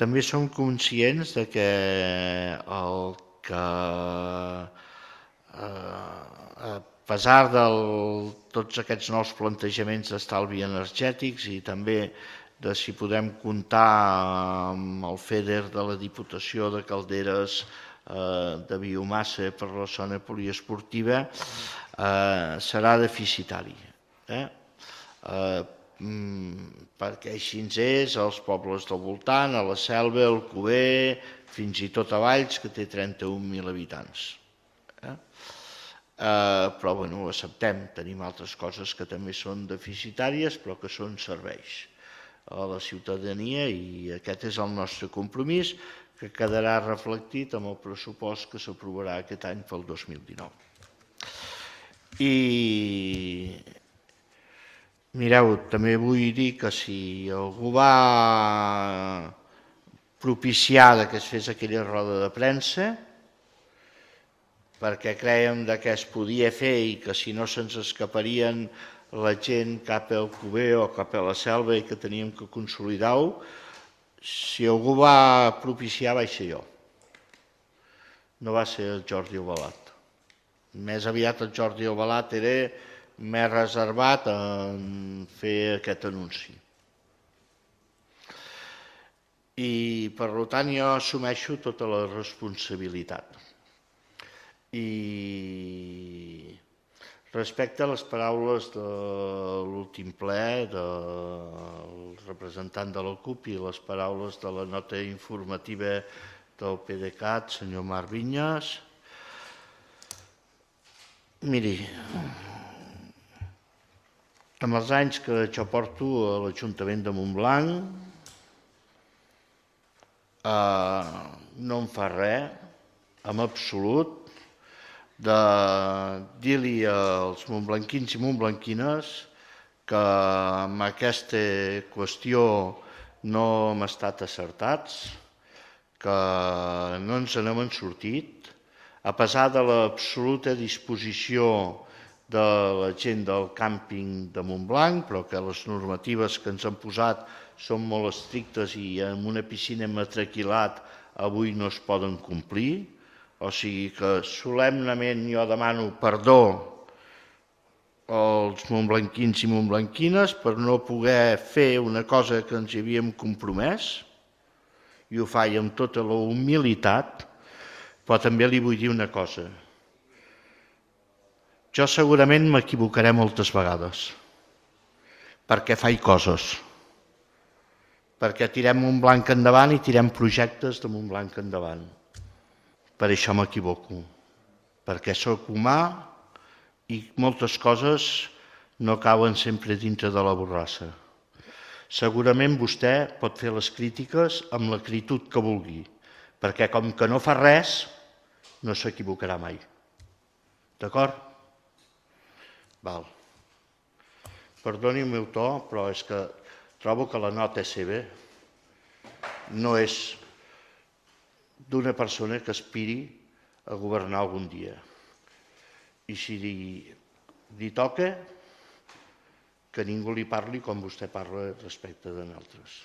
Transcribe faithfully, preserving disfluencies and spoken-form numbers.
també som conscients de que el que, a pesar de tots aquests nous plantejaments d'estalvi energètics i també de si podem comptar amb el FEDER de la Diputació de Calderes de biomassa per la zona poliesportiva, serà deficitari. Perquè així és als pobles del voltant, a la Selva, al Alcover, fins i tot a Valls, que té trenta-un mil habitants. Però ho acceptem, tenim altres coses que també són deficitàries, però que són serveis a la ciutadania i aquest és el nostre compromís, que quedarà reflectit en el pressupost que s'aprovarà aquest any pel dos mil dinou. I mireu, també vull dir que si algú va propiciar que es fes aquella roda de premsa, perquè crèiem que es podia fer i que si no se'ns escaparien la gent cap al Alcover o cap a la Selva i que teníem que consolidar-ho, si algú va propiciar vaig ser jo. No va ser el Jordi Ovalat. Més aviat el Jordi Ovalat era més reservat en fer aquest anunci. I per tant jo assumeixo tota la responsabilitat. I respecte a les paraules de l'últim ple del representant de la CUP i les paraules de la nota informativa del PDeCAT, senyor Marc Vinyes, miri, amb els anys que jo porto a l'Ajuntament de Montblanc no em fa res, en absolut, de dir-li als montblanquins i montblanquines que amb aquesta qüestió no hem estat acertats, que no ens n'hem sortit, a pesar de l'absoluta disposició de la gent del càmping de Montblanc, però que les normatives que ens han posat són molt estrictes i amb una piscina matriculat avui no es poden complir. O sigui que solemnement jo demano perdó als montblanquins i montblanquines per no poder fer una cosa que ens hi havíem compromès, i ho faig amb tota la humilitat, però també li vull dir una cosa. Jo segurament m'equivocaré moltes vegades, perquè faig coses, perquè tirem Montblanc endavant i tirem projectes de Montblanc endavant. Per això m'equivoco, perquè sóc humà i moltes coses no cauen sempre dintre de la borrassa. Segurament vostè pot fer les crítiques amb l'acritud que vulgui, perquè com que no fa res, no s'equivocarà mai. D'acord? Val. Perdoni el meu to, però és que trobo que la nota seva no és d'una persona que aspiri a governar algun dia. I si li toca, que ningú li parli com vostè parla respecte de nosaltres.